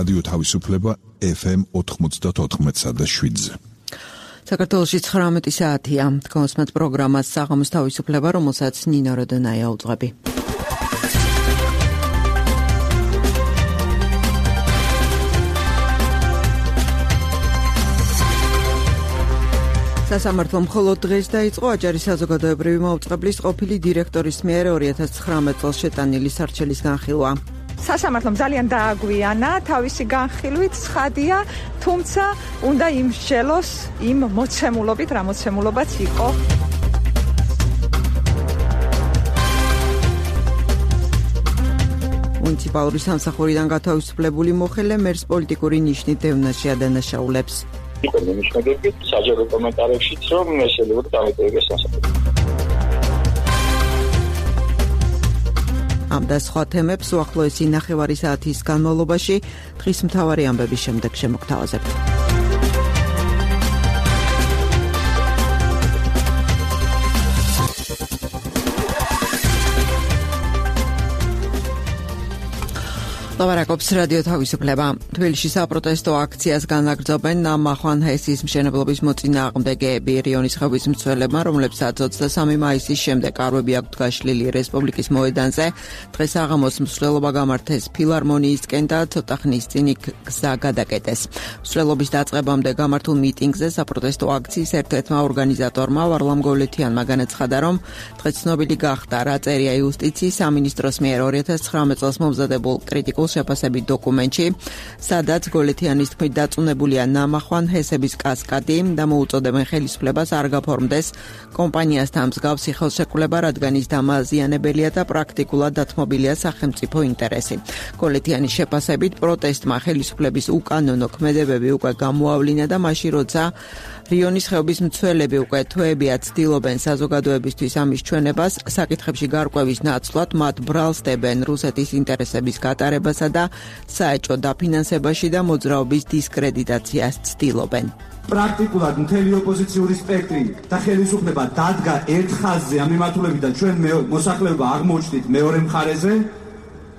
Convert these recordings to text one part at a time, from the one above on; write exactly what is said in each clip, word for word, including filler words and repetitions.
რადიო თავისუფლება ეფ ემ ოთხმოცდაოთხ და შვიდზე. საქართველოში ცხრამეტი საათია. თქვენს პროგრამას საღამოს თავისუფლება, რომელსაც ნინო როდონაია უძღვები. სასამართლო მხოლოდ დღეს დაიწყო აჭარის საზოგადოებრივი მაუწყებლის ყოფილი დირექტორის მიერ ორი ათას ცხრამეტ წელს შეტანილი სარჩელის განხილვა. სასამართლომ ძალიან დააგვიანა თავისი განხილვით, ცხადია, თუმცა უნდა იმსჯელოს იმ მოცემულობით, რა მოცემულობაც იყო. მუნიციპალური სამსახურიდან გათავისუფლებული მოხელე მერს პოლიტიკური ნიშნით დევნაში ადანაშაულებს. იყო ნიშნები საჯარო კომენტარებშიც, რომ შეიძლება დამეტევდეს სასამართლო. ამ და სხვა თემებს უახლოესი ნახევარი საათის განმავლობაში დღის მთავარი ამბების შემდეგ შემოგთავაზებთ. ლავარაკობს რადიო თავისუფლება. თბილისში საპროტესტო აქციას განაგრძობენ ნამახვან ჰესის მშენებლობის მოწინააღმდეგეები. რიონის ხეობის მცველებმა, რომლებსაც ოცდასამი მაისის შემდეგ არვები აქვთ გაშლილი რესპუბლიკის მოედანზე, დღეს საღამოს მსვლელობა გამართეს ფილარმონიისკენ და ცოტა ხნის წინ იქ გზა გადაკეტეს. მსვლელობის დაწყებამდე გამართულ მიტინგზე საპროტესტო აქციის ერთ-ერთმა ორგანიზატორმა ვარლამ გოვლეთიანმა განაცხადა, რომ დღეს ცნობილი გახდა, რა წერია იუსტიციის სამინისტროს მიერ ორი ათას ცხრამეტ წელს მომზადებულ კრიტიკულ შეფასებით დოკუმენტში, სადაც გოლეთიანის თქმით დაწუნებულია ნამახვან ჰესების კასკადი და მოუწოდებენ ხელისუფლებას არ გაფორმდეს კომპანიასთან მსგავსი ხელშეკრულება, რადგან ის დამაზიანებელია და პრაქტიკულად დათმობილია სახელმწიფო ინტერესი. გოლეთიანის შეფასებით პროტესტმა ხელისუფლების უკანონო ქმედებები უკვე გამოავლინა და მაშინ როცა რიონის ხეობის მცველები უკვე თვეებია ცდილობენ საზოგადოებისთვის ამის ჩვენებას, საკითხებში გარკვევის ნაცვლად მათ ბრალს დებენ რუსეთის ინტერესების გატარებასა და საეჭვო დაფინანსებაში და მოძრაობის დისკრედიტაციას ცდილობენ. პრაქტიკულად მთელი ოპოზიციური სპექტრი და ხელისუფლება დადგა ერთ ხაზზე ამ მიმართულებიდან, ჩვენ მოსახლეობა აღმოჩნდით მეორე მხარეზე,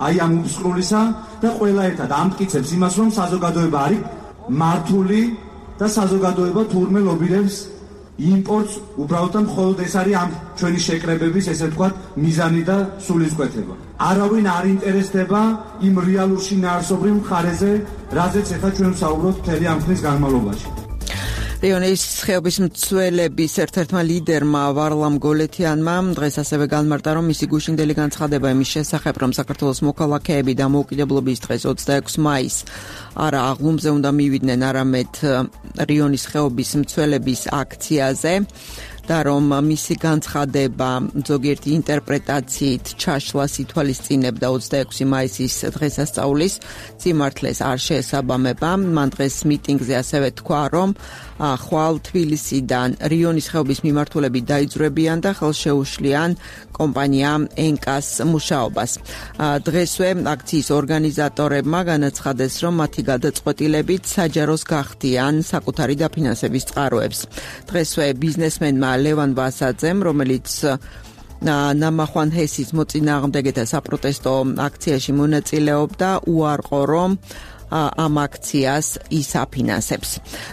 აი ამ უსყრულისა და ყველა ერთად ამტკიცებს იმას, რომ საზოგადოება არის მართული და საზოგადოება თურმე ლობირებს იმპორტს, უბრალოდ და მხოლოდ ეს არის ამ ჩვენი შეკრებების, ესე ვთქვათ, მიზანი და სულისკვეთება. არავინ არ ინტერესდება იმ რეალურ შინაარსობრივ მხარეზე, რაზეც ეხლა ჩვენ ვსაუბრობთ მთელი ამ ხნის განმავლობაში. რიონის ხეობის მცველების ერთ-ერთმა ლიდერმა ვარლამ გოლეთიანმა დღეს ასევე განმარტა, რომ მისი გუშინდელი განცხადება იმის შესახებ, რომ საქართველოს მოქალაქეები დამოუკიდებლობის დღეს ოცდაექვსი მაისს არა აღლუმზე უნდა მივიდნენ, არამედ რიონის ხეობის მცველების აქციაზე და რომ მისი განცხადება ზოგიერთი ინტერპრეტაციით ჩაშლას ითვალისწინებდა ოცდაექვსი მაისის დღესასწაულის სიმართლეს არ შეესაბამება. მან დღეს მიტინგზე ასევე თქვა, რომ ხვალ თბილისიდან რიონის ხეობის მიმართულები დაიძვრებიან და ხელშეუშლიან კომპანია ენკას მუშაობას. დღესვე აქციის ორგანიზატორებმა განაცხადეს, რომ მათი გადაწყვეტილებით საჯაროს გახდიან საკუთარი დაფინანსების წყაროებს. დღესვე ბიზნესმენმა ლევან ვასაძემ, რომელიც ნამახვან ჰესის მოწინააღმდეგეთა საპროტესტო აქციაში მონაწილეობდა, უარყო, რომ ამ აქციას ის აფინანსებს.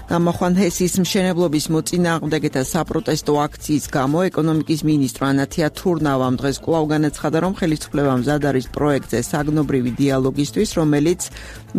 ნამახვან ჰესის მშენებლობის მოწინააღმდეგეთა საპროტესტო აქციის გამო ეკონომიკის მინისტრ ანათია თურნავამ დღეს კვლავ განაცხადა, რომ ხელისუფლება მზად არის პროექტზე საგნობრივი დიალოგისთვის, რომელიც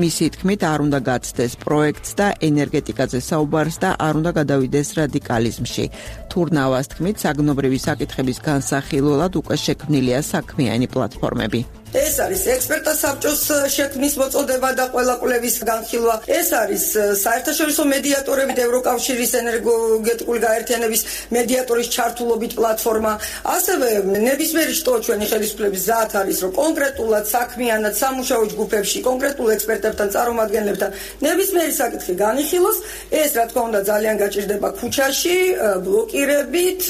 მისი თქმით არ უნდა გაცდეს პროექტს და ენერგეტიკაზე საუბარს და არ უნდა გადავიდეს რადიკალიზმში. თურნავას თქმით, საგნობრივი საკითხების განსახილველად უკვე შექმნილია საქმიანი პლატფორმები. ეს არის ექსპერტთა საბჭოს შექმნის მოწოდება და ყველა კვლევის განხილვა. ეს არის საერთაშორისო მედიატორებით ევროკავშირის ენერგეტიკული გაერთიანების მედიატორის ჩართულობით პლატფორმა. ასევე ნებისმიერი შტო ჩვენი ხელისუფლების ზათ არის, რომ კონკრეტულად საქმიანად სამუშაო ჯგუფებში კონკრეტულ ექსპერტებთან, წარმომადგენლებთან ნებისმიერი საკითხი განიხილოს. ეს რა თქმა უნდა ძალიან გაჭირდება ქუჩაში, ბლოკირებით,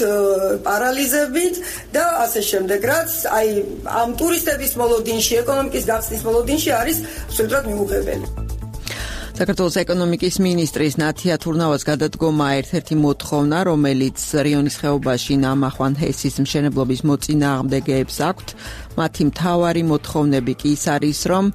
პარალიზებით და ასე შემდეგ, რაც აი ამ ტურისტების მოლოდინში, ეკონომიკის გახსნის მოლოდინში არის სულტრად მიუღებელი. საქართველოს ეკონომიკის მინისტრის ნათია თურნავას გადადგომა ერთ-ერთი მოთხოვნა, რომელიც რიონის ხეობაში ნამახვან ჰესის მშენებლობის მოწინააღმდეგეებს აქვთ. მათი მთავარი მოთხოვნები კი ის არის, რომ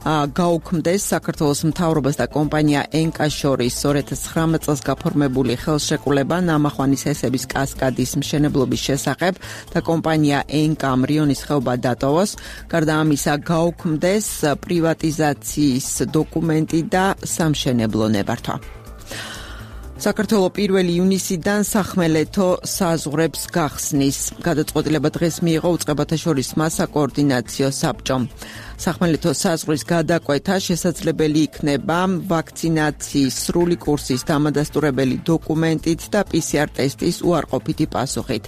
გაუქმდეს საქართველოს მთავრობას და კომპანია ენკას შორის ორ ათას ცხრამეტ წელს გაფორმებული ხელშეკრულება ნამახვანის ჰესების კასკადის მშენებლობის შესახებ და კომპანია ენკამ რიონის ხეობა დატოვოს. გარდა ამისა გაუქმდეს პრივატიზაციის დოკუმენტი და სამშენებლო ნებართვა. საქართველოს პირველი ივნისიდან სახმელეთო საზღვრებს გახსნის. გადაწყვეტილება დღეს მიიღო უწყებათა შორის მასაკოორდინაციო საბჭომ. სახმელეთო საზღვრის გადაკვეთა შესაძლებელი იქნება ვაქცინაციის სრული კურსის დამადასტურებელი დოკუმენტით და პი სი არ ტესტის უარყოფითი პასუხით.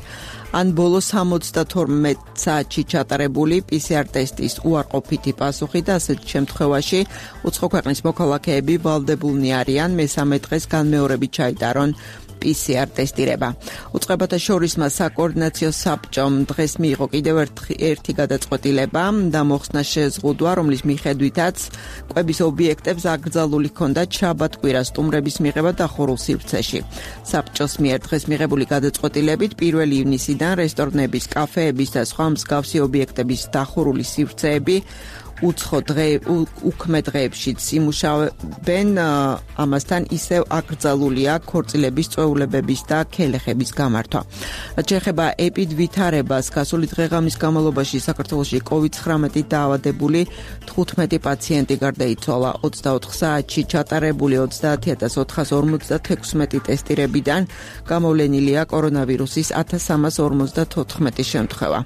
ან ბოლო სამოცდათორმეტ საათში ჩატარებული პი სი არ ტესტის უარყოფითი პასუხი და ასეთ შემთხვევაში უცხო ქვეყნის მოქალაქეები ვალდებულნი არიან მესამე დღეს განმეორებით ჩაიტარონ პი სი არ ტესტირება. უწყებათა შორის საკოორდინაციო საბჭომ დღეს მიიღო კიდევ ერთი გადაწყვეტილება და მოხსნა შეზღუდვა, რომლის მიხედვითაც კვების ობიექტებს აკრძალული ჰქონდა შაბათ-კვირა სტუმრების მიღება დახურულ სივრცეში. საბჭოს მიერ დღეს მიღებული გადაწყვეტილებით პირველი ივნისიდან რესტორნების, კაფეების და სხვა მსგავსი ობიექტების დახურული სივრცეები უცხო დღე უქმე დღეებშიც იმუშავებენ, ამასთან ისევ აკრძალულია ქორწილების, წვეულებების და ქელეხების გამართვა. რაც შეეხება ეპიდვითარებას, გასული დღე-ღამის განმავლობაში საქართველოში კოვიდ ცხრამეტით დაავადებული თხუთმეტი პაციენტი გარდაიცვალა. ოცდაოთხ საათში ჩატარებული ოცდაათი ათას ოთხას ორმოცდათექვსმეტი ტესტირებიდან გამოვლენილია კორონავირუსის ათას სამას ორმოცდათოთხმეტი შემთხვევა.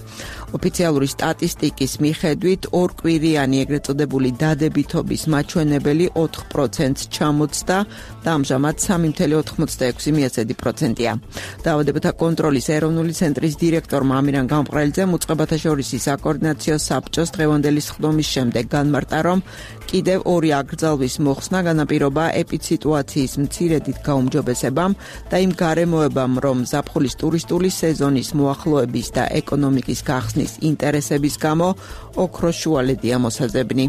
ოფიციალური სტატისტიკის მიხედვით ორკვირიანი ეგრეთ წოდებული დადებითობის მაჩვენებელი ოთხ პროცენტს ჩამოწდა და ამჟამად სამი ცხრილი ოთხმოცდაექვსი პროცენტია. დაავადებათა კონტროლის ეროვნული ცენტრის დირექტორმა ამირან გამყრელიძემ უწყებათა შორის საკოორდინაციო საბჭოს დღევანდელი სხდომის შემდეგ განმარტა, რომ კიდევ ორი აკრძალვის მოხსნა განაპირობა ეპიდსიტუაციის მცირედით გაუმჯობესებამ და იმ გარემოებამ, რომ ზაფხულის ტურისტული სეზონის მოახლოების და ეკონომიკის გახსნის ინტერესების გამო ოქროს შუალედია მოსაზებნი.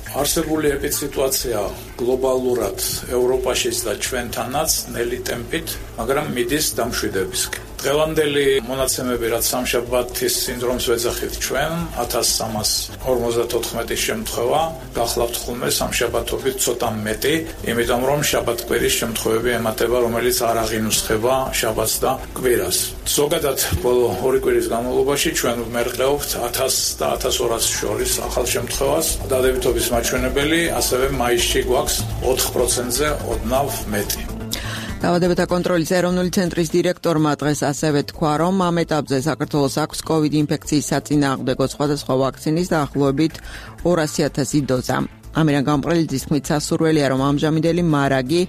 არსებული ეპიდსიტუაცია გლობალურად ევროპაშიც და ჩვენთანაც ნელი ტემპით, მაგრამ მიდის დამშვიდებისკენ. დღევანდელი მონაცემები, რაც სამშაბათის სინდრომს ვეძახით ჩვენ, ათას სამას ორმოცდათოთხმეტი შემთხვევა, გახლავთ ხოლმე სამშაბათობით ცოტა მეტი, იმიტომ რომ შაბათ-კვირის შემთხვევები ემატება, რომელიც არ აღინუსხება შაბათს და კვირას. ზოგადად, ბოლო ორი კვირის განმავლობაში ჩვენ ვმერყეობთ ათას და ათას ორას შორის ახალ შემთხვევას. დადებითობის მაჩვენებელი ასევე მაისში გვაქვს ოთხ პროცენტზე ოდნავ მეტი. დაავადებათა კონტროლის ეროვნული ცენტრის დირექტორმა დღეს ასევე თქვა, რომ ამ ეტაპზე საქართველოს აქვს კოვიდ ინფექციის საწინააღმდეგო სხვადასხვა ვაქცინის დაახლოებით ორასი ათასი დოზა. ამირან გამყრელიძის თქმით, სასურველია, რომ ამჟამინდელი მარაგი,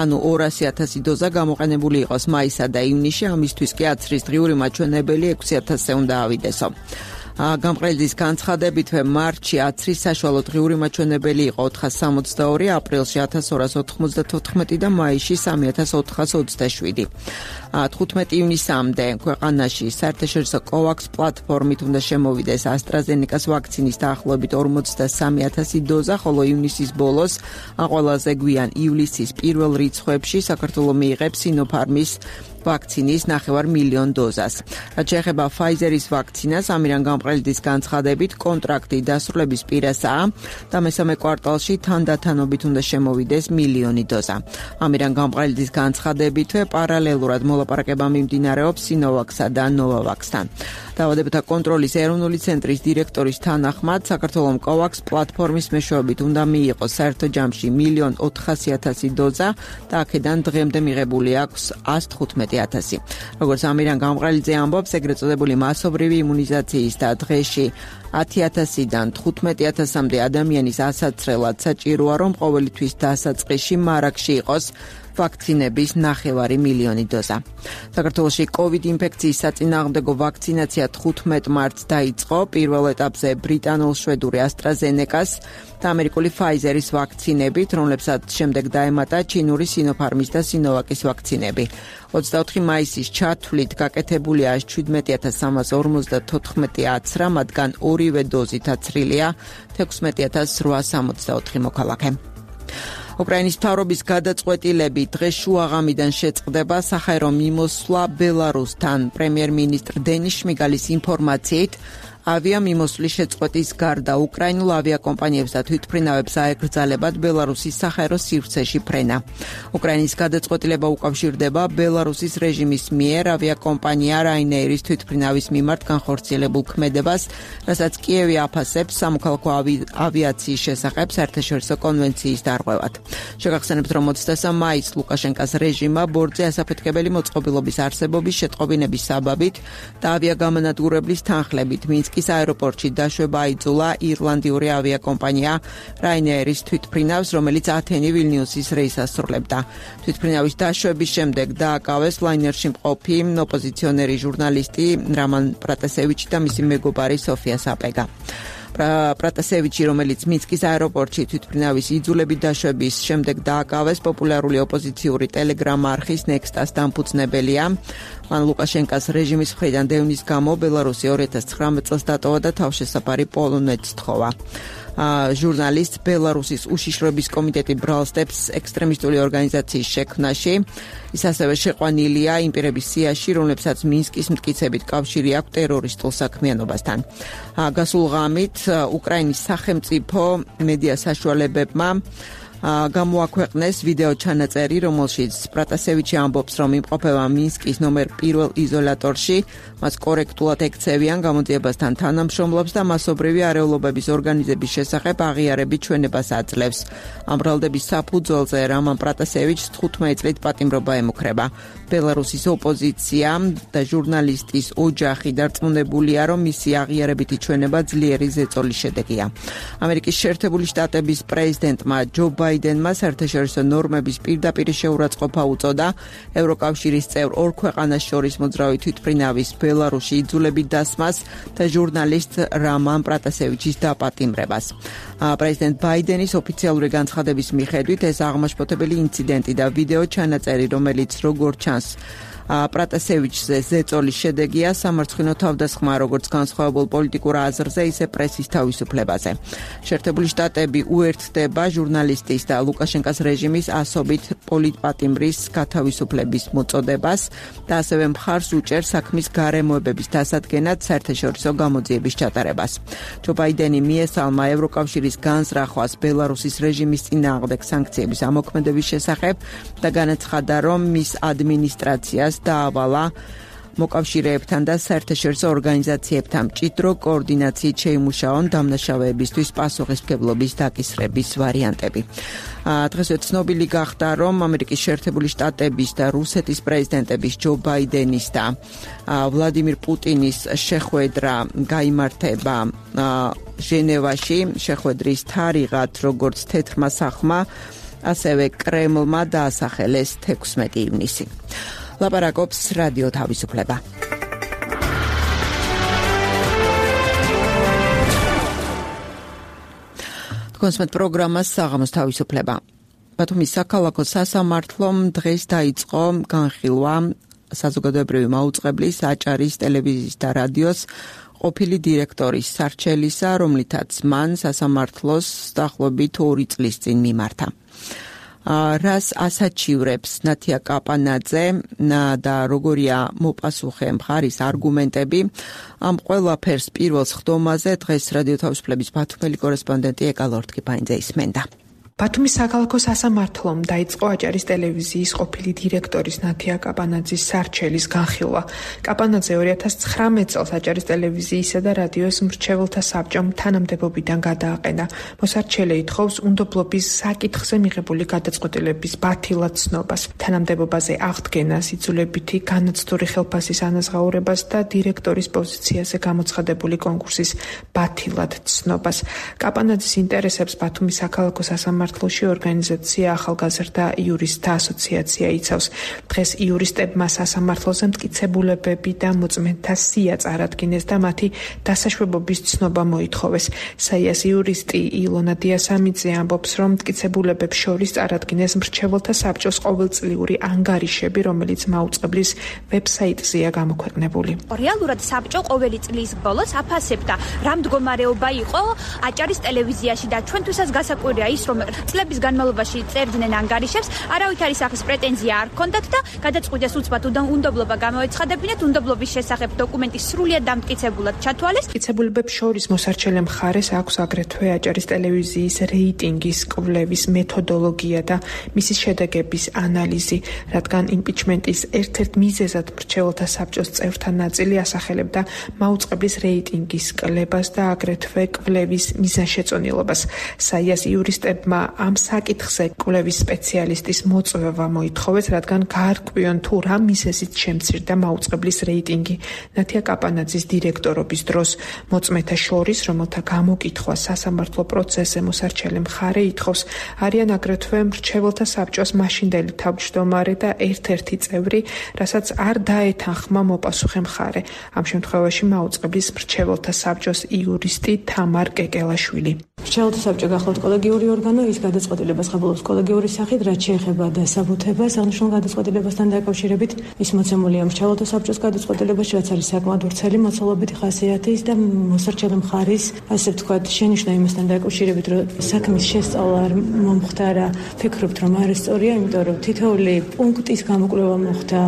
ანუ ორასი ათასი დოზა გამოყენებული იყოს მაისსა და ივნისში, ამისთვის კი აცრის დღიური მაჩვენებელი ექვსი ათასზე უნდა ავიდესო. გამყრელიძის განცხადებით, მარტში აცრის საშუალო დღიური მაჩვენებელი იყო ოთხას სამოცდაორი, აპრილში ათას ორას ოთხმოცდათოთხმეტი და მაისში სამი ათას ოთხას ოცდაშვიდი. თხუთმეტი ივნისამდე ქვეყანაში საერთაშორისო კოვაქს პლატფორმით უნდა შემოვიდეს ასტრაზენეკას ვაქცინის დაახლოებით ორმოცდასამი ათასი დოზა, ხოლო ივნისის ბოლოს, ყველაზე გვიან ივლისის პირველ რიცხვებში საქართველოს მიიღებს სინოფარმის ვაქცინის ნახევარ მილიონ დოზას. რაც შეეხება ფაიზერის ვაქცინას, ამირან გამყრელიძის განცხადებით, კონტრაქტი დასრულების პირასაა და მესამე კვარტალში თანდათანობით უნდა შემოვიდეს მილიონი დოზა. ამირან გამყრელიძის განცხადებითვე პარალელურად მოლაპარაკება მიმდინარეობს სინოვაქსა და ნოვავაქსთან. დაავადებათა კონტროლის ეროვნული ცენტრის დირექტორის თანახმად, საქართველოს კოვაქს პლატფორმის მეშვეობით უნდა მიიღოს საერთო ჯამში მილიონ ოთხასი ათასი დოზა და აქედან დღემდე მიღებული აქვს ას თხუთმეტი ათასი. როგორც ამირან გამყრელიძე ამბობს, ეგრეთ წოდებული მასობრივი იმუნიზაციის და დღეში ათი ათასიდან თხუთმეტი ათასამდე ადამიანის ასაცრელად საჭიროა, რომ ყოველი თვის დასაწყისში მარაგში იყოს ვაქცინების ნახევარი მილიონი დოზა. საქართველოში კოვიდ ინფექციის საწინააღმდეგო ვაქცინაცია თხუთმეტ მარტს დაიწყო, პირველ ეტაპზე ბრიტანულ-შვედური ასტრაზენეკას და ამერიკული ფაიზერის ვაქცინებით, რომლებსაც შემდეგ დაემატა ჩინური სინოფარმის და სინოვაკის ვაქცინები. ოცდაოთხი მაისის ჩათვლით გაკეთებულია შვიდმეტი ათას სამას ორმოცდათოთხმეტი აცრა, მათგან ორივე დოზით აცრილია თექვსმეტი ათას რვაას სამოცდაოთხი მოქალაქე. უკრაინის მთავრობის გადაწყვეტილებით დღეს შუაღამიდან შეწყდება საჰაერო მიმოსვლა ბელარუსთან. პრემიერ-მინისტრ დენის შმიგალის ინფორმაციით, ავიამიმოსვლის შეწყვეტის გარდა უკრაინულ ავიაკომპანიებს და თვითმფრინავებს აეკრძალებათ ბელარუსის საჰაერო სივრცეში ფრენა. უკრაინის გადაწყვეტილება უკავშირდება ბელარუსის რეჟიმის მიერ ავიაკომპანია Ryanair-ის თვითმფრინავის მიმართ განხორციელებულ ქმედებას, რასაც კიევი აფასებს სამოქალაქო ავიაციის შესახებ საერთაშორისო კონვენციის დარღვევად. შეგახსენებთ, რომ ოცდამეცხრე მაისს ლუკაშენკას რეჟიმმა ბორტზე ასაფეთქებელი მოწყობილობის არსებობის შეტყობინების საბაბით და ავიაგამანადგურებლის თანხლებით მინსკის აეროპორტში დაშვება აიძულა ირლანდიური ავიაკომპანია Ryanair-ის თვითმფრინავს, რომელიც ათენი ვილნიუსის რეისს ასრულებდა. თვითმფრინავის დაშვების შემდეგ დააკავეს ლაინერში მყოფი ოპოზიციონერი ჟურნალისტი რამან პრატასევიჩი და მისი მეგობარი სოფია საპეგა. პრატასევიჩი, რომელიც მინსკის აეროპორტში თვითმფრინავის იძულებით დაშვების შემდეგ დააკავეს, პოპულარული ოპოზიციური ტელეგრამ არხის Nextas დამფუძნებელია. მან ლუკაშენკას რეჟიმის მხრიდან დევნის გამო ბელარუსი ორი ათას ცხრამეტ წელს დატოვა და თავშესაფარი პოლონეთს თხოვა. ჟურნალისტ ბელარუსის უშიშროების კომიტეტი ბრალსდებს ექსტრემისტული ორგანიზაციის შექმნაში. ის ასევე შეყვანილია იმ პირების სიაში, რომლებსაც მინსკის მტკიცებით კავშირი აქვს ტერორისტულ საქმიანობასთან. გასულ ღამით უკრაინის სახელმწიფო მედია საშუალებებმა გამოაქვეყნეს ვიდეო ჩანაწერი, რომელშიც პრატასევიჩი ამბობს, რომ იმყოფება მინსკის ნომერ პირველ იზოლატორში, მას კორექტულად ექცევიან გამოძიებასთან თანამშრომლობს და მასობრივი არეულობების ორგანიზების შესახებ აღიარებით ჩვენებას აძლევს. ამ ბრალდების საფუძველზე რამან პრატასევიჩს თხუთმეტი წლით პატიმრობა ემუქრება. ბელარუსის ოპოზიცია და ჟურნალისტის ოჯახი დარწმუნებულია, რომ მისი აღიარებითი ჩვენება ძლიერი ზეწოლის შედეგია. ამერიკის შეერთებული შტატების პრეზიდენტმა ჯო ბაიდენმა საერთაშორისო ნორმების პირდაპირ შეურაცხყოფა უწოდა ევროკავშირის წევრ ორ ქვეყანას შორის მოძრავი თვითმფრინავის ბელარუსში იძულებით დასმას და ჟურნალისტ რამან პრატასევიჩის დაპატიმრებას. პრეზიდენტ ბაიდენის ოფიციალური განცხადების მიხედვით ეს აღმაშფოთებელი ინციდენტი და ვიდეო ჩანაწერი, რომელიც როგორც ჩანს პრატასევიჩზე ზეწოლის შედეგია სამარცხინო თავდასხმა როგორც განსხვავებულ პოლიტიკურ აზრზე, ისე პრესის თავისუფლებაზე. შეერთებული შტატები უერთდება ჟურნალისტის და ლუკაშენკას რეჟიმის ასობით პოლიტპატიმრის გათავისუფლების მოწოდებას და ასევე მხარს უჭერს საქმის გარემოებების დასადგენად საერთაშორისო გამოძიების ჩატარებას. ჯო ბაიდენი მიესალმა ევროკავშირის განზრახვას ბელარუსის რეჟიმის წინააღმდეგ სანქციების ამოქმედების შესახებ და განაცხადა, რომ მის ადმინისტრაციას დაავალა მოკავშირეებთან და საერთაშორისო ორგანიზაციებთან მჭიდრო კოორდინაციით შეიმუშაონ დამნაშავეებისთვის პასუხისმგებლობის დაკისრების ვარიანტები. დღესვე ცნობილი გახდა, რომ ამერიკის შეერთებული შტატების და რუსეთის პრეზიდენტების ჯო ბაიდენის და ვლადიმირ პუტინის შეხვედრა გაიმართება ჟენევაში. შეხვედრის თარიღად როგორც თეთრმა სახლმა, ასევე კრემლმა დაასახელეს თექვსმეტი ივნისი. ლაპარაკობს რადიო თავისუფლება. კონსმეთ პროგრამას საღამოს თავისუფლება. ბათუმის საქალაქო სასამართლომ დღეს დაიწყო განხილვა საზოგადოებრივი მაუწყებლის, აჭარის ტელევიზიის და რადიოს ყოფილი დირექტორის სარჩელისა, რომლითაც მან სასამართლოს დაახლოებით ორი წლის წინ მიმართა. რას ასაჩივრებს ნათია კაპანაძე და როგორია მოპასუხე მხარის არგუმენტები, ამ ყველაფერს პირველ ხდომაზე დღეს რადიო თავისუფლების ბათუმელი კორესპონდენტი ეკა ლორთქიფანიძე ისმენდა. ბათუმის საქალაქო სასამართლომ დაიწყო აჭარის ტელევიზიის ყოფილი დირექტორის ნათია კაპანაძის სარჩელის განხილვა. კაპანაძე ორი ათას ცხრამეტ წელს აჭარის ტელევიზიისა და რადიოს მრჩეველთა საბჭომ თანამდებობიდან გადააყენა. მოსარჩელე ითხოვს უნდობლობის საკითხზე მიღებული გადაწყვეტილების ბათილად ცნობას, თანამდებობაზე აღდგენას, იძულებითი განაცდური ხელფასის ანაზღაურებას და დირექტორის პოზიციაზე გამოცხადებული კონკურსის ბათილად ცნობას. კაპანაძის ინტერესებს ბათუმის საქალაქო სასამართლო მართლოში ორგანიზაცია ახალგაზრდა იურისტთა ასოციაცია იცავს. დღეს იურისტებმა სასამართლოზე მტკიცებულებები და მოწმენთა სია წარადგინეს და მათი დასაშვებობის ცნობა მოითხოვეს. საიას იურისტი ილონა დიასამიძე ამბობს, რომ მტკიცებულებებს შორის წარადგინეს მრჩეველთა საბჭოს ყოველწლიური ანგარიშები, რომელიც მაუწყებლის ვებსაიტზეა გამოქვეყნებული. რეალურად საბჭო ყოველი წლის ბოლოს აფასებდა, რა მდგომარეობა იყო აჭარის ტელევიზიაში და ჩვენთვისაც გასაკვირია ის, რომ წლების განმავლობაში წერდნენ ანგარიშებს, არავითარი სახის პრეტენზია არ ჰქონდათ და გადაწყვიტეს უცბად უნდობლობა გამოეცხადებინათ, უნდობლობის შესახებ დოკუმენტი სრულიად დამტკიცებულად ჩათვალეს. მტკიცებულებებს შორის მოსარჩელე მხარეს აქვს აგრეთვე აჭარის ტელევიზიის რეიტინგის კვლევის მეთოდოლოგია და მისი შედეგების ანალიზი, რადგან იმპიჩმენტის ერთ-ერთ მიზეზად მრჩეველთა საბჭოს წევრთა ნაწილი ასახელებდა მაუწყებლის რეიტინგის კლებას და აგრეთვე კვლევის მიზანშეწონილობას. საიას იურისტებმა ამ საკითხზე კვლევის სპეციალისტის მოწვევა მოითხოვეს, რადგან გაარკვიონ თუ რა მიზეზით შემცირდა მაუწყებლის რეიტინგი. ნათია კაპანაძის დირექტორობის დროს მოწმეთა შორის, რომელთა გამოკითხვა სასამართლო პროცესზე მოსარჩელე მხარე ითხოვს, არიან აგრეთვე მრჩეველთა საბჭოს მაშინდელი თავმჯდომარე და ერთ-ერთი წევრი, რასაც არ დაეთანხმა მოპასუხე მხარე. ამ შემთხვევაში მაუწყებლის მრჩეველთა საბჭოს იურისტი თამარ კეკელაშვილი. მრჩეველთა საბჭო გახლავთ კოლეგიური ორგანო, ის გადაწყვეტილებას ხაბულობს კოლეგიური სახით, რაც შეეხება დასაბუთებას, აღნიშნულ გადაწყვეტილებასთან დაკავშირებით ის მოცემულია მრჩეველთა საბჭოს გადაწყვეტილებაში, რაც არის საკმაოდ ვრცელი მოცულობითი ხასიათის და მოსარჩელე მხარის, ასე ვთქვათ, შენიშვნა იმასთან დაკავშირებით, რომ საქმის შესწავლა არ მომხდარა. ფიქრობთ, რომ არ სწორია, იმიტომ რომ თითოეული პუნქტის გამოკვლევა მოხდა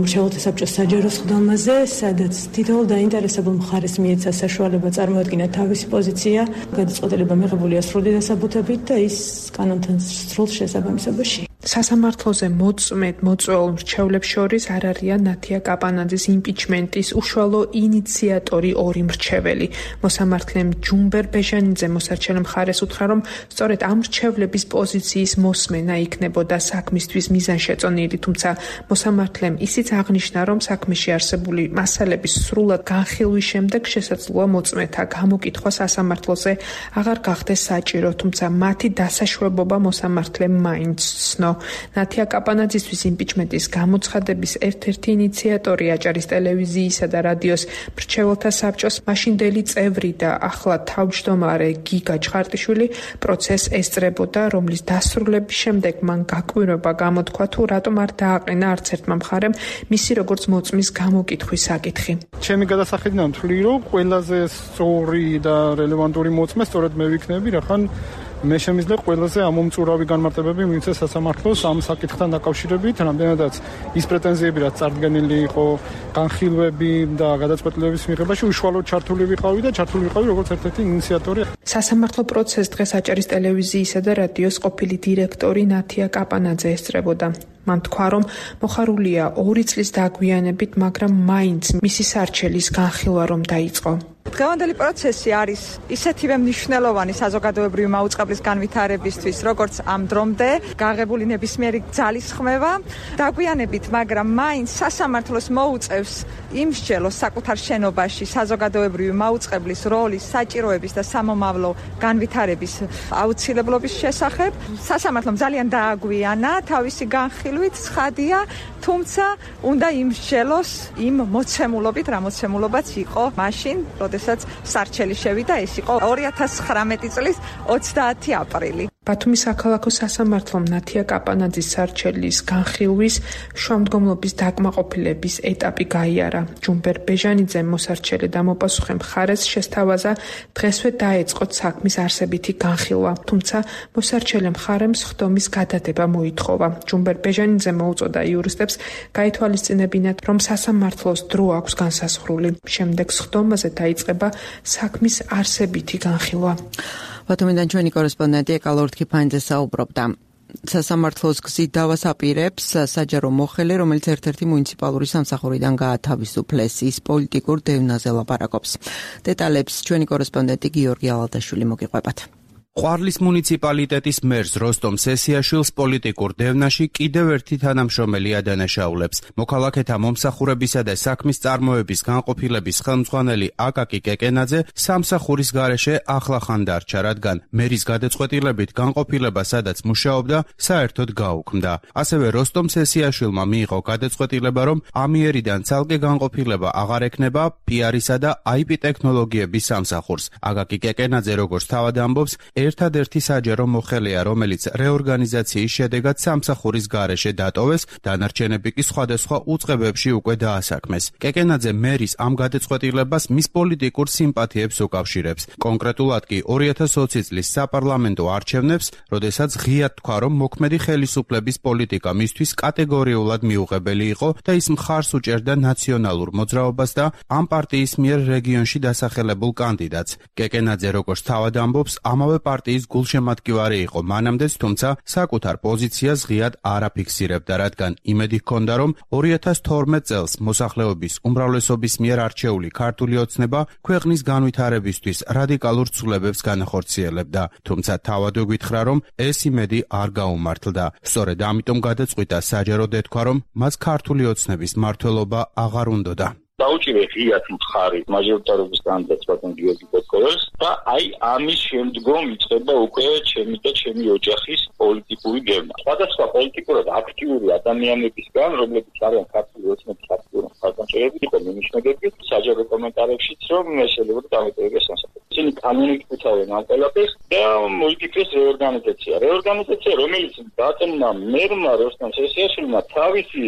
მრჩეველთა საბჭოს საჯარო სხდომაზე, სადაც თითოეულ დაინტერესებულ მხარეს მიეცა საშუალება წარმოადგინა თავისი პოზიცია, გადაწყვეტილება მიღებულია სრული დასაბუთებით და ის კანონთან სრულ შესაბამისობაში. სასამართლოზე მოწმედ მოწვეულ მრჩევლებს შორის არ არიან ნათია კაპანაძის იმპიჩმენტის უშუალო ინიციატორი ორი მრჩეველი. მოსამართლემ ჯუმბერ ბეჟანიძე მოსარჩელე მხარეს უთხრა, რომ სწორედ ამ მრჩევლების პოზიციის მოსმენა იქნებოდა საქმისთვის მიზანშეწონილი, თუმცა მოსამართლემ ისიც აღნიშნა, რომ საქმეში არსებული მასალების სრულად განხილვის შემდეგ შესაძლოა მოწმეთა გამოკითხვა სასამართლოზე აღარ გახდეს საჭირო, თუმცა მათი დასაშვებობა მოსამართლემ მაინც ცნო. ნათია კაპანაძისთვის იმპიჩმენტის გამოცხადების ერთ-ერთი ინიციატორი აჭარის ტელევიზიისა და რადიოს მრჩეველთა საბჭოს მაშინდელი წევრი და ახლა თავმჯდომარე გიგა ჩხარტიშვილი პროცესს ესწრებოდა, რომლის დასრულების შემდეგ მან გაკვირვება გამოთქვა, თუ რატომ არ დააყენა არც ერთმა მხარემ მისი როგორც მოწმის გამოკითხვის საკითხი. ჩემი გადასახედიდან ვთვლი, რომ ყველაზე სწორი და რელევანტური მოწმე სწორედ მე ვიქნები, რახან მე შემიძლია ყველაზე ამომწურავი განმარტებები მივიცე სასამართლოს ამ საკითხთან დაკავშირებით, რამდენადაც ის პრეტენზიები, რაც წარდგენილი იყო განხილვები და გადაწყვეტილების მიღებაში, უშუალოდ ჩართული ვიყავი და ჩართული ვიყავი როგორც ერთ-ერთი ინიციატორი. სასამართლო პროცესს დღეს აჭარის ტელევიზიისა და რადიოს ყოფილი დირექტორი ნათია კაპანაძე ესწრებოდა. მან თქვა, რომ მოხარულია ორი წლის დაგვიანებით, მაგრამ მაინც მისი სარჩელის განხილვა რომ დაიწყო. დღევანდელი პროცესი არის ისეთივე მნიშვნელოვანი საზოგადოებრივი მაუწყებლის განვითარებისთვის, როგორც ამ დრომდე გაღებული ნებისმიერი ძალისხმევა. დაგვიანებით, მაგრამ მაინც სასამართლოს მოუწევს იმსჯელოს საკუთარ შენობაში საზოგადოებრივი მაუწყებლის როლის, საჭიროების და სამომავლო განვითარების აუცილებლობის შესახებ. სასამართლომ ძალიან დააგვიანა თავისი განხილვით, ცხადია, თუმცა უნდა იმსჯელოს იმ მოცემულობით, რა მოცემულობაც იყო მაშინ, როდესაც სარჩელი შევიდა, ეს იყო ორი ათას ცხრამეტი წლის ოცდაათი აპრილი. ბათუმის საქალაქო სასამართლომ ნათია კაპანაძის სარჩელის განხილვის შუამდგომლობის დაკმაყოფილების ეტაპი გაიარა. ჯუმბერ ბეჟანიძემ მოსარჩელე და მოპასუხე მხარეს შესთავაზა დღესვე დაეწყოთ საქმის არსებითი განხილვა, თუმცა მოსარჩელე მხარემ სხდომის გადადება მოითხოვა. ჯუმბერ ბეჟანიძემ მოუწოდა იურისტებს გაითვალისწინებინათ, რომ სასამართლოს დრო აქვს განსაზღვრული. შემდეგ სხდომაზე დაიწყება საქმის არსებითი განხილვა. ბათუმიდან ჩვენი კორესპონდენტი ეკალორთ ქიფანიძე საუბრობდა. სასამართლოს გზით დავასაპირებს საჯარო მოხელე, რომელიც ერთ-ერთი მუნიციპალური სამსახურიდან გაათავისუფლეს, ის პოლიტიკურ დევნაზე ლაპარაკობს. დეტალებს ჩვენი კორესპონდენტი გიორგი ალადაშვილი მოგიყვებათ. ყვარლის მუნიციპალიტეტის მერს როსტომ სესიაშვილს პოლიტიკურ დევნაში კიდევ ერთი თანამშრომელი ადანაშაულებს. მოქალაქეთა მომსახურებისა და საქმის წარმოების განყოფილების ხელმძღვანელი აკაკი კეკენაძე სამსახურის გარეშე ახლახან დარჩა, რადგან მერის გადაწყვეტილებით განყოფილება, სადაც მუშაობდა, საერთოდ გაუქმდა. ასევე როსტომ სესიაშვილმა მიიღო გადაწყვეტილება, რომ ამიერიდან ცალკე განყოფილება აღარ ექნება პიარისა და აი პი ტექნოლოგიების სამსახურს. აკაკი კეკენაძე, როგორც თავად ამბობს, ერთადერთი საჯარო მოხელეა, რომელიც რეორგანიზაციის შედეგად სამსახურის გარეშე დატოვეს, დანარჩენები კი სხვადასხვა უწყებებში უკვე დაასაქმეს. კეკენაძე მერის ამ გადაწყვეტილებას მის პოლიტიკურ სიმპათიებს უკავშირებს. კონკრეტულად კი ორი ათას ოცი წლის საპარლამენტო არჩევნებს, როდესაც ღიად თქვა, რომ მოქმედი ხელისუფლების პოლიტიკა მისთვის კატეგორიულად მიუღებელი იყო და ის მხარს უჭერდა ნაციონალურ მოძრაობას და ამ პარტიის მიერ რეგიონში დასახელებულ კანდიდატს. კეკენაძე როგორც თავად ამბობს, ამავე პარტიის გულშემატკივარი იყო მანამდეც, თუმცა საკუთარ პოზიციას ღიად არ აფიქსირებდა, რადგან იმედი ჰქონდა, რომ ორი ათას თორმეტ წელს მოსახლეობის უმრავლესობის მიერ არჩეული ქართული ოცნება ქვეყნის განვითარებისთვის რადიკალურ ცვლილებებს განახორციელებდა. თუმცა თავად გითხრა, რომ ეს იმედი არ გაუმართლდა. სწორედ ამიტომ გადაწყვიტა საჯაროდ ეთქვა, რომ მას ქართული ოცნების მმართველობა აღარ უნდოდა. დაუჭირე ღიად მხარი მაჟორიტარობის კანდიდატს ბატონ გიორგი ბოტკოვერს და აი ამის შემდგომ იწყება უკვე ჩემი და ჩემი ოჯახის პოლიტიკური გეგმა. სხვადასხვა პოლიტიკურად აქტიური ადამიანებისგან, რომლებიც არიან ქართული ოცნების აქტიური მხარდამჭერები, იყო მინიშნებები საჯარო კომენტარებშიც, რომ შეიძლება დამეტოვებდეს სამსახურს. ისინი კანონით უთავენ ამ ყველაფერს და მოიფიქრეს რეორგანიზაცია. რეორგანიზაცია, რომელიც დაწესნა მერმა როსტომ სესიაშვილმა თავისი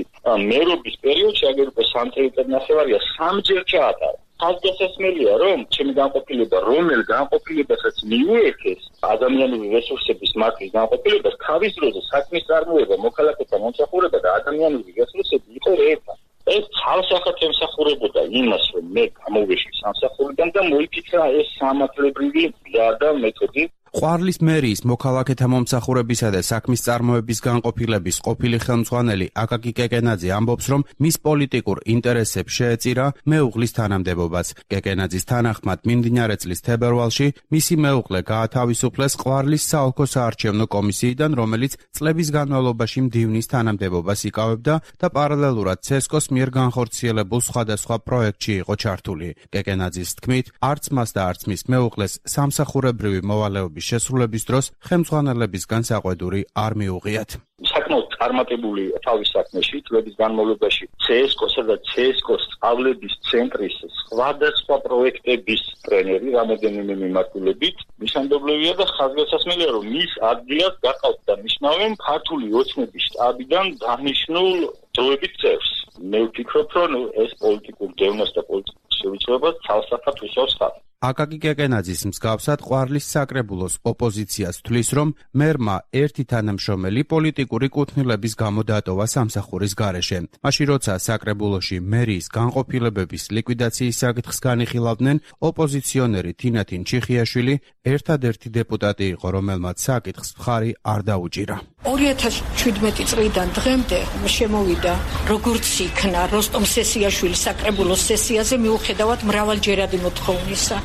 მერობის პერიოდში, აგერ უკვე სამ წელიწად ნახევარია სამჯერ ჩაატარა. ხაზგასასმელია, რომ ჩემი განყოფილება, რომელ განყოფილებასაც მიუერთეს ადამიანური რესურსების მართვის განყოფილებას, თავის დროზე საქმის წარმოება, მოქალაქეთა მომსახურება და ადამიანური რესურსები იყო ერთად. ეს ცალსახად ემსახურებოდა იმას, რომ მე გამოვეში სამსახურიდან და მოიფიქრა ეს სამართლებრივი გზა და მეთოდი. ყვარლის მერიის მოქალაქეთა მომსახურებისა და საქმის წარმოების განყოფილების ყოფილი ხელმძღვანელი აკაკი კეკენაძე ამბობს, რომ მის პოლიტიკურ ინტერესებს შეეწირა მეუღლის თანამდებობაც. კეკენაძის თანახმად მიმდინარე წლის თებერვალში მისი მეუღლე გაათავისუფლეს ყვარლის საოლქო საარჩევნო კომისიიდან, რომელიც წლების განმავლობაში მდივნის თანამდებობას იკავებდა და პარალელურად ცესკოს მიერ განხორციელებულ სხვადასხვა პროექტში იყო ჩართული. კეკენაძის თქმით, არც მას და არც მის მეუღლეს სამსახურებრივი მოვალეობის შესრულების დროს ხელმძღვანელებისგან საყვედური არ მიუღიათ. საკმაოდ წარმატებული თავის საქმეში წლების განმავლობაში ცესკოსა და ცესკოს სწავლების ცენტრის სხვადასხვა პროექტების ტრენერი რამოდენიმე მიმართულებით მისამდობლებია და ხაზგასასმელია, რომ მის ადგილას გაყავთ და ნიშნავენ ქართული ოცნების შტაბიდან დანიშნულ დროებით წევრს. მე ვფიქრობ, რომ ეს პოლიტიკურ გეგმას და პოლიტიკურ შევიცვლებას ცალსახად უსვავს ხალხს. აკაკი კეკენაძის მსგავსად ყვარლის საკრებულოს ოპოზიციას თვლის, რომ მერმა ერთი თანამშრომელი პოლიტიკური კუთვნილების გამო დატოვა სამსახურის გარეშე. მაშინ როცა საკრებულოში მერიის განყოფილებების ლიკვიდაციის საკითხს განიხილავდნენ, ოპოზიციონერი თინათინ ჩიხიაშვილი ერთადერთი დეპუტატი იყო, რომელმაც საკითხს მხარი არ დაუჭირა. ორი ათას შვიდმეტი წლიდან დღემდე შემოვიდა, როგორც იქნა როსტომ სესიაშვილის საკრებულოს სესიაზე მიუხედავად მრავალჯერადი მოთხოვნისა.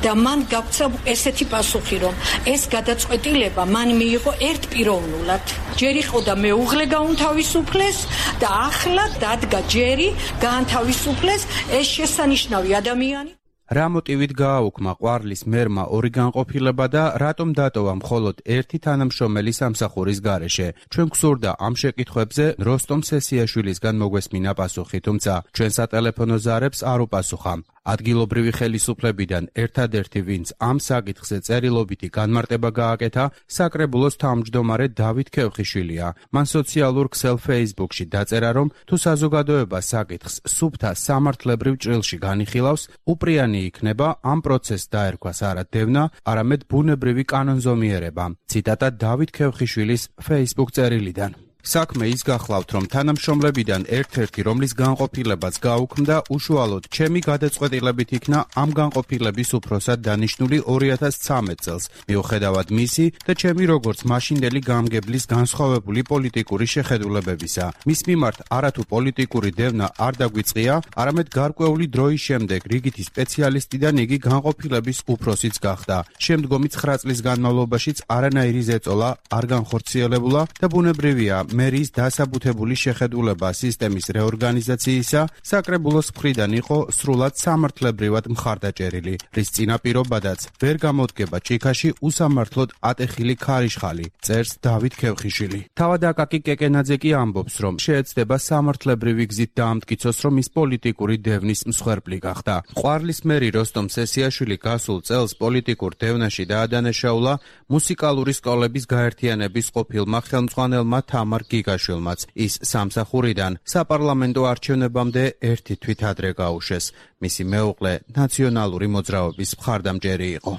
და მან გაქცა ესეთი პასუხი, რომ ეს გადაწყვეტილება მან მიიღო ერთპიროვნულად. ჯერ იყო და მეუღლე გაუნთავისუფლეს და ახლა დადგა ჯერი გაანთავისუფლეს ეს შესანიშნავი ადამიანი. რა მოტივით გააუქმა ყვარლის მერმა ორი განყოფილება და რატომ დატოვა მხოლოდ ერთი თანამშრომელი სამსახურის გარეშე? ჩვენ გვსურდა ამ შეკითხვებზე როსტომ სესიაშვილისგან მოგვესმინა პასუხი, თუმცა ჩვენ სატელეფონო ზარებს არ უპასუხა. ადგილობრივი ხელისუფლებიდან ერთადერთი, ვინც ამ საკითხზე წერილობითი განმარტება გააკეთა, საკრებულოს თავმჯდომარე დავით ქევხიშვილია. მან სოციალურ ქსელ Facebook-ში დაწერა, რომ თუ საზოგადოება საკითხს სუფთა სამართლებრივ ჭრილში განიხილავს, უპრიანი იქნება ამ პროცესს დაერქვას არა დევნა, არამედ ბუნებრივი კანონზომიერება. ციტატა დავით ქევხიშვილის Facebook წერილიდან. საქმე ის გახლავთ, რომ თანამშრომლებიდან ერთ-ერთი, რომლის განყოფილებაც გაუქმდა, უშუალოდ ჩემი გადაწყვეტილებით იქნა ამ განყოფილების უფროსად დანიშნული ორი ათას ცხრამეტ წელს, მიუხედავად მისი და ჩემი როგორც მაშინდელი გამგებლის განსხვავებული პოლიტიკური შეხედულებებისა. მის მიმართ არათუ პოლიტიკური დევნა არ დაგვიწყია, არამედ გარკვეული დროის შემდეგ რიგითი სპეციალისტიდან იგი განყოფილების უფროსიც გახდა. შემდგომი ცხრა წლის განმავლობაშიც არანაირი ზეწოლა არ განხორციელებულა და ბუნებრივია, მერის დასაბუთებული შეხედულება სისტემის რეორგანიზაციისა საკრებულოს მხრიდან იყო სრულად სამართლებრივად მხარდაჭერილი, რის წინაპირობადაც ვერ გამოდგება ჭიქაში უსამართლოდ ატეხილი ქარიშხალი, წერს დავით ქევხიშვილი. თავად აკაკი კეკენაძე კი ამბობს, რომ შეეცდება სამართლებრივი გზით დაამტკიცოს, რომ ის პოლიტიკური დევნის მსხვერპლი გახდა. ყვარლის მერი როსტომ სესიაშვილი გასულ წელს პოლიტიკურ დევნაში დაადანაშაულა მუსიკალური სკოლების გაერთიანების ყოფილმა ხელმძღვანელმა თამარ გიგაშვილმაც. ის სამსახურიდან საპარლამენტო არჩევნებამდე ერთი თვით ადრე გაუშვეს. მისი მეუღლე ნაციონალური მოძრაობის მხარდამჭერი იყო.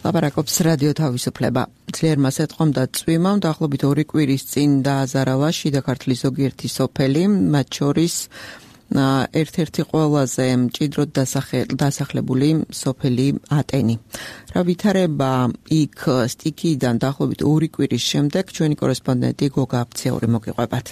ლაპარაკობს რადიო თავისუფლება. ძლიერმა სეტყომდა წვიმამ დაახლოებით ორი კვირის წინ დააზარალა შიდა ქართლის ზოგიერთი სოფელი, მათ შორის ერთ-ერთი ყველაზე მჭიდროდ დასახლებული სოფელი ატენი. რა ვითარება იქ სტიქიიდან დაახლოებით ორი კვირის შემდეგ ჩვენი კორესპონდენტი გოგა აფციური მოგიყვებათ.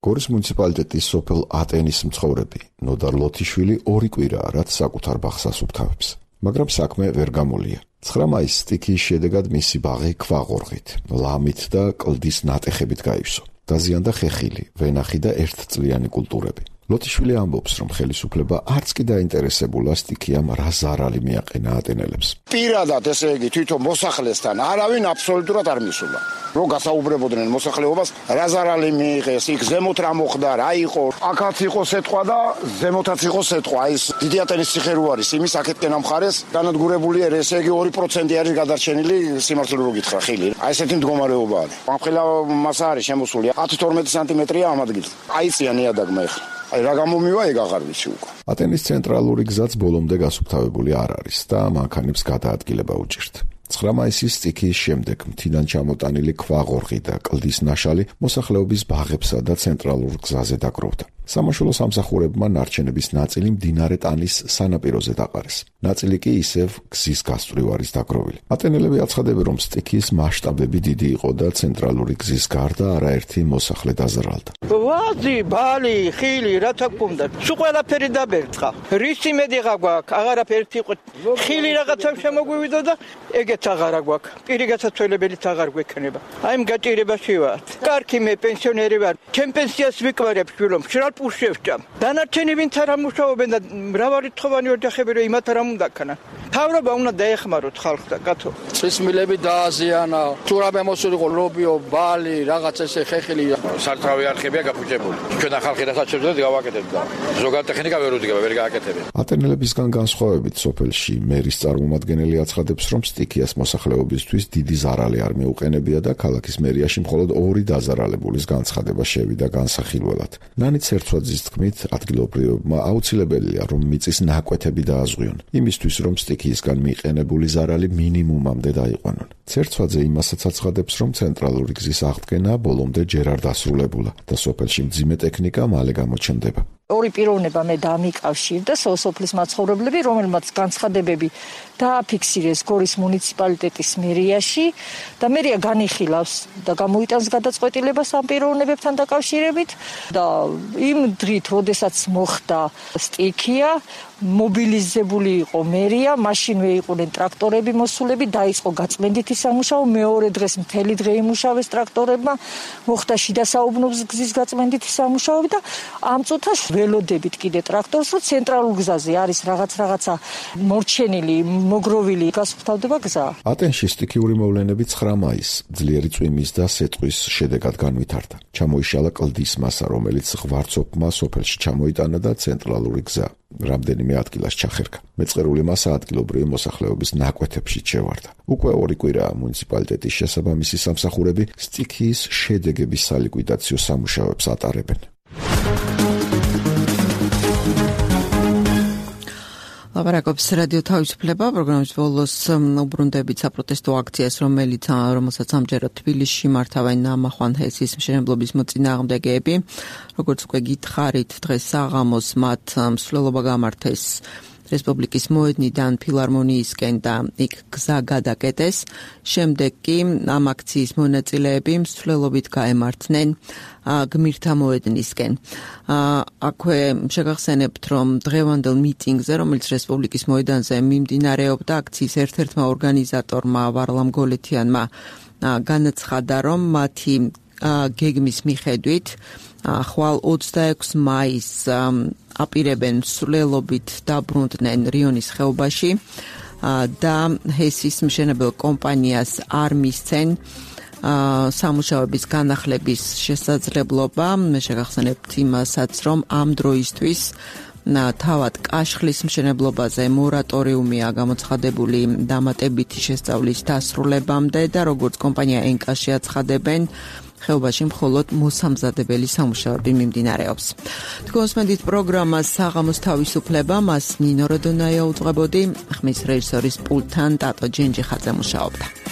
გორის მუნიციპალიტეტის სოფელ ატენის მცხოვრები ნოდარ ლოთიშვილი ორი კვირაა, რაც საკუთარ ბაღს ასუფთავებს, მაგრამ საქმე ვერ გამოლია. ცხრა მაისს სტიქიის შედეგად მისი ბაღი ქვაღორღით, ლამით და კლდის ნატეხებით გაივსო. დაზიანდა ხეხილი, ვენახი და ერთწლიანი კულტურები. ლოთიშვილი ამბობს, რომ ხელისუფლება არც კი დაინტერესებულა სტიქიამ რა ზარალი მიაყენა ატენელებს. პირადად ესე იგი თვითონ მოსახლესთან არავინ აბსოლუტურად არ მისულა. რო გასაუბრებოდნენ მოსახლეობას, რა ზარალი მიიღეს, იქ ზემოთ რა მოხდა, რა იყო. აქაც იყო სეტყვა და ზემოთაც იყო სეტყვა. აი ეს დიდი ატენის ციხე რო არის, იმის აქეთკენ ამხარეს განადგურებული არის, ესე იგი ორი პროცენტი არის გადარჩენილი, სიმართლე რო გითხრა, ხილი. აი ესეთი მდგომარეობა არის. ამხელა მასა არის შემოსული ათი თორმეტი სანტიმეტრია ამ ადგილს. აიწია ნიადაგმა ეხლა. აი რა გამომივა ეგ აღარ ვიცი უკვე. ატენის ცენტრალური გზაც ბოლომდე გასუფთავებული არ არის და მანქანებს გადაადგილება უჭირთ. ცხრა მაისის სტიქიის შემდეგ მთიდან ჩამოტანილი ქვაღორღი და კლდის ნაშალი მოსახლეობის ბაღებსა და ცენტრალურ გზაზე დაგროვდა. სამაშველო სამსახურებმა ნარჩენების ნაწილი მდინარე ტანის სანაპიროზე დაყარეს. ნაწილი კი ისევ გზის გასწვრივ არის დაგროვილი. ატენელები აცხადებენ, რომ სტიქიის მასშტაბები დიდი იყო და ცენტრალური გზის გარდა არაერთი მოსახლე დაზარალდა. ვაზი, ბალი, ხილი, რა თქმა უნდა, სულ ყველაფერი დაბერწყა. რისი მედიღა გვაქვს, აღარაფერი იყო. ხილი რაღაცა შემოგვივიდა და ეგეც აღარა გვაქვს. პირი გასაცვალებელიც აღარ გვექნება. აი ამ გაჭირებაში ვარ. კარგი მე პენსიონერი ვარ. ჩემ პენსიას ვიკვირებ შვილო. პუშევჭამ. დანარჩენი ვინც არ ამუშავებენ და მრავალი თხოვანი ოჯახები რომ იმათ არ ამუნდაქანა. თავრობა უნდა დაეხმაროთ ხალხს და კაცო. წლის მილები დააზიანა, თუ რა მემოსულიყო ლობიო, ბალი, რაღაც ესე ხეხილი, სარტრავი არხებია გაფუჭებული. ჩვენ ახალხი რასაც შევძლებთ გავაკეთებთ და ზოგადად ტექნიკა ვერ უდიგება, ვერ გააკეთებენ. ატენელებისგან განსხვავებით სოფელში მერის წარმომადგენელი აცხადებს, რომ სტიქიას მოსახლეობისთვის დიდი ზარალი არ მეუყენებია და ქალაქის მერიაში მხოლოდ ორი დაზარალებულის განცხადება შევიდა განსახილველად. ნანიც ცერცვაძის თქმით, ადგილობრივებმა აუცილებელია, რომ მიწის ნაკვეთები დააზღვიონ, იმისთვის, რომ სტიქიისგან მიყენებული ზარალი მინიმუმამდე დაიყვანონ. ცერცვაძე იმასაც აცხადებს, რომ ცენტრალური გზის აღდგენა ბოლომდე ჯერ არ დასრულებულა და სოფელში მძიმე ტექნიკა მალე გამოჩნდება. ორი პიროვნება მე დამიკავშირდა სოფლის მაცხოვრებლები, რომელმაც განცხადებები დააფიქსირეს გორის მუნიციპალიტეტის მერიაში და მერია განიხილავს და გამოიტანს გადაწყვეტილებას ამ პიროვნებებთან დაკავშირებით და იმ დღით, როდესაც მოხდა სტიქია, მობილიზებული იყო მერია, მაშინვე იყვნენ ტრაქტორები მოსულები, დაიწყო გაწმენდითი სამუშაო, მეორე დღეს მთელი დღე იმუშავეს ტრაქტორებმა, მოხდა შიდა საუბნოს გზის გაწმენდითი სამუშაოები და ამ წუთას ველოდებით კიდე ტრაქტორს, რომ ცენტრალურ გზაზე არის რაღაც რაღაცა მორჩენილი, მოგროვილი გასუფთავდება გზა. ატენში სტიქიური მოვლენები ცხრა მაისს ძლიერი წვიმის და სეტყვის შედეგად განვითარდა. ჩამოიშალა კლდის მასა, რომელიც ღვარცოფმა სოფელში ჩამოიტანა და ცენტრალური გზა რამდენიმე ადგილას ჩახერგა. მეწყერული მასა ადგილობრივი მოსახლეობის ნაკვეთებში ჩევარდა. უკვე ორი კვირაა მუნიციპალიტეტის შესაბამისი სამსახურები სტიქიის შედეგების სალიკვიდაციო სამუშაოებს ატარებენ. ლაპარაკობს რადიო თავისუფლება პროგრამის ბოლოს უბრუნდებით საპროტესტო აქციას, რომელიც რომელსაც ამჯერად თბილისში მართავენ ნამახვან ჰესის მშენებლობის მოწინააღმდეგეები. როგორც უკვე გითხარით, დღეს საღამოს მათ მსვლელობა გამართეს რესპუბლიკის მოედნიდან ფილარმონიისკენ და იქ გზა გადაკეტეს. შემდეგ კი ამ აქციის მონაწილეები მსვლელობით გაემართნენ გმირთა მოედნისკენ. აქვე შეგახსენებთ, რომ დღევანდელ მიტინგზე, რომელიც რესპუბლიკის მოედანზე მიმდინარეობდა, აქციის ერთ-ერთმა ორგანიზატორმა ვარლამ გოლეთიანმა განაცხადა, რომ მათი გეგმის მიხედვით ხვალ ოცდაექვსი მაისს აპირებენ მსვლელობით დაბრუნდნენ რიონის ხეობაში და ჰესის მშენებელ კომპანიას არ მისცენ სამუშაოების განახლების შესაძლებლობა. მე შეგახსენებთ იმასაც, რომ ამ დროისთვის თავად კაშხლის მშენებლობაზე მორატორიუმია გამოცხადებული დამატებითი შესწავლის დასრულებამდე და როგორც კომპანია ენკაში აცხადებენ, ხეობაში მხოლოდ მოსამზადებელი სამუშაოები მიმდინარეობს. თქვენსმენდით პროგრამას საღამოს თავისუფლება, მას ნინო როდონაია უძღვებოდი, ხმის რეჟისორის პულტთან ტატო ჯენჯიხაძე მუშაობდა.